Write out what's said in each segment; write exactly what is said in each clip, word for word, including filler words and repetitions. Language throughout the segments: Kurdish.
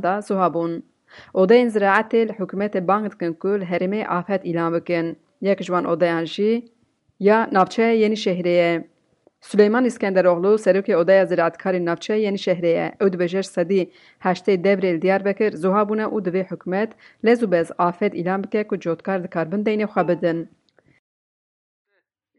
da zuha bûn. Odeyên ziraetê li hikûmetê bang dikin ku li herêmê afet îlan bikin. Yek ji wan odeyan jî ya navçeya Yenîşehirê ye. Suleyman Îskenderoğlu, serokê Odeya Ziraetkarên Navçeya Yenîşehirê ye. Ew dibêje ji sedî heştê devrê li Diyarbekir zuha bûne û divê hikûmet lez û bez afet îlan bike ku cotkar dikarbin deynê xwe bidin.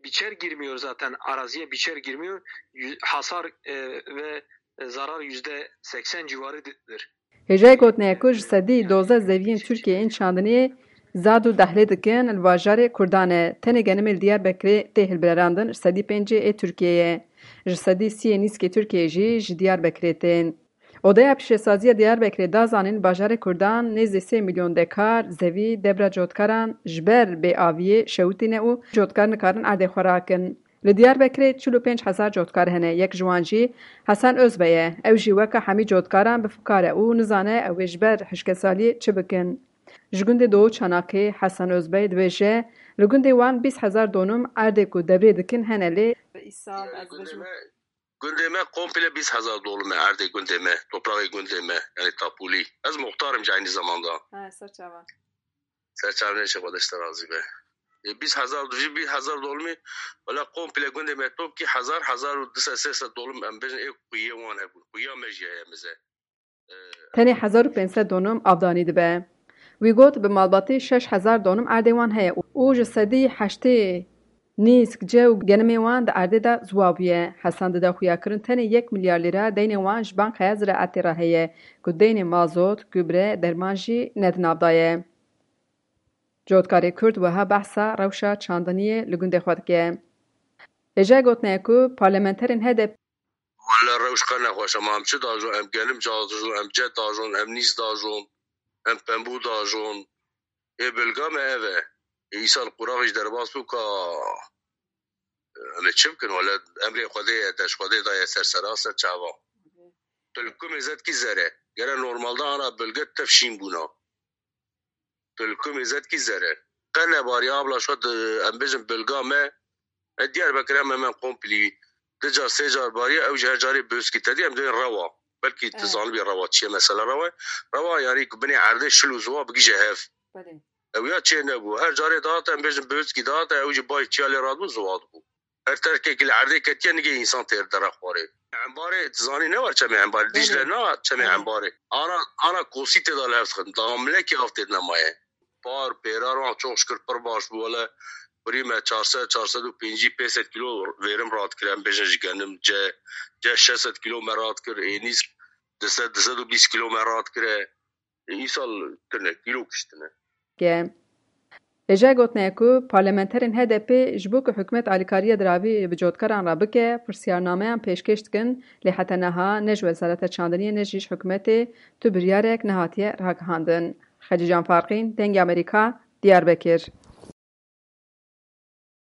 Biçer girmiyor zaten, araziye biçer girmiyor. Yüz- hasar e, ve zarar yüzde seksen civarıdır. Hêjayê gotinê ye ku ji sedî dozdeh zeviyên Tirkiyeyê yên çandiniyê zad û dehlê dikin li bajarê Kurdan e. Tenê genimê li Diyarbekirê tê hilbilerandin ji sedî pêncî ê Tirkiyeyê ye. Ji sedî sî ê nîskê Tirkiyeyê jî ji Diyarbekirê tên. Odeya Pîşesaziya Diyarbekirê da zanîn bajarê Kurdan nêzî sê milyon dekar zevî debra cotkaran ji ber bêaviyê şewitîne û cotkar nikarin erdê xwe rakin. Li Diyarbekirê çil û pênc hezar cotkar hene, yek ji wan jî Hesen Ozbey e. Ew jî weke hemî cotkaran bi fikar e û nizane ew ê ji ber hişkesaliyê çi bikin. Ji gundê Doğu Çanakê Hesen Ozbey dibêje, li gundê wan bîst hezar donum erdê ku devrê dikin hene lê. Îsal ez bêjim. Gundê me komple bîst hezar dolum e erdê gundê me, topraxê gundê me, yani tapulî. Ez muxtar im jî aynî zamanda. Ha, ser çavan. Ser çavnê çi Xwedê ji te razî be. E, bîst hezar, jî bîst hezar dolumî, wela komple gundê me top kî hezar, hezar û du sed, sê sed dolum em bêjin ê quyê wan hebûn. Quya me jî heye mize. Tenê hezar û pênc sed donum avdanî dibe. Wî got, bi malbatî şeş hezar donum erdê wan heye û ji sedî heştê nîsk, ce û genimê wan di erdê de ziwa bûye. Hesen dide xuyakirin tenê yek milyar lîra deynê wan ji Bankaya Ziraetê re heye, ku deynê mazot, gübre, derman jî ne di nav de ye. Cotkarê Kurd wiha behsa rewşa çandiniyê li gundê xwe dike. Hêjayê gotinê ye ku parlamenterên H D P Wele rewş qe nexweş e, ma em çi dajon, em genim dajon, em ce dajon, em nîz dajon, em pembû dajon. Ê bilga me ev e. Ê îsal qurax jî derbas bû ka em ê çi bikin? Wele emrê Xwedê ye, deş Xwedê daye ser sera ser çava. Tu li ku mêzet kî zere. Gere normalde ana bilge tev şîn bûna. Tu li ku mêzet kî zere. Qe nebariye abla şo di, em bêjin bilga me, e, Diyarbekir em hemen komplî. Du car, sê car bariye, ew jî her carê böskî te dî, em dibên rewa. Belkî tu zanibî rewa çi ye, mesela rewa ye. Rewa yani ku binê erdê şil û ziwa bigije hev. Belê. Ew ya çê nebû. Her carê dihate, em bêjin böskî dihate, ew jî bay çiya lê radibû, ziwa dibû. Her terkekî li erdê ketiye, nigê însan têr dere xwarê. Embarê, tu zanî ne war çemê Embarê. Dîcle na çemê Embarê. Ana, ana kosî tê de li hev dixin. Damlekî av tê de nemaye. Par, pêrar wan çok şükür pir baş bû. Wele birî me çar sed, çar sed û pêncî, pênc sed kilo vêrim radikir. Em bêjin ji genim, ce, ce şeş sed kilo me radikir. Ênîsk du sed, du sed û bîst kilo me radikire. Îsal tune, kîlo kiştine. Ke. Hêjayê gotinê ye ku parlamenterên H D P ji bo ku hikûmet alîkariya diravî bi cotkaran re bike, pirsyarnameyan pêşkêş dikin, lê heta niha ne ji Wezareta Çandiniyê ne jî ji hikûmetê tu biryarek nehatiye ragihandin. Xecîcan Farqîn, Dengê Amerîka, Diyarbekir.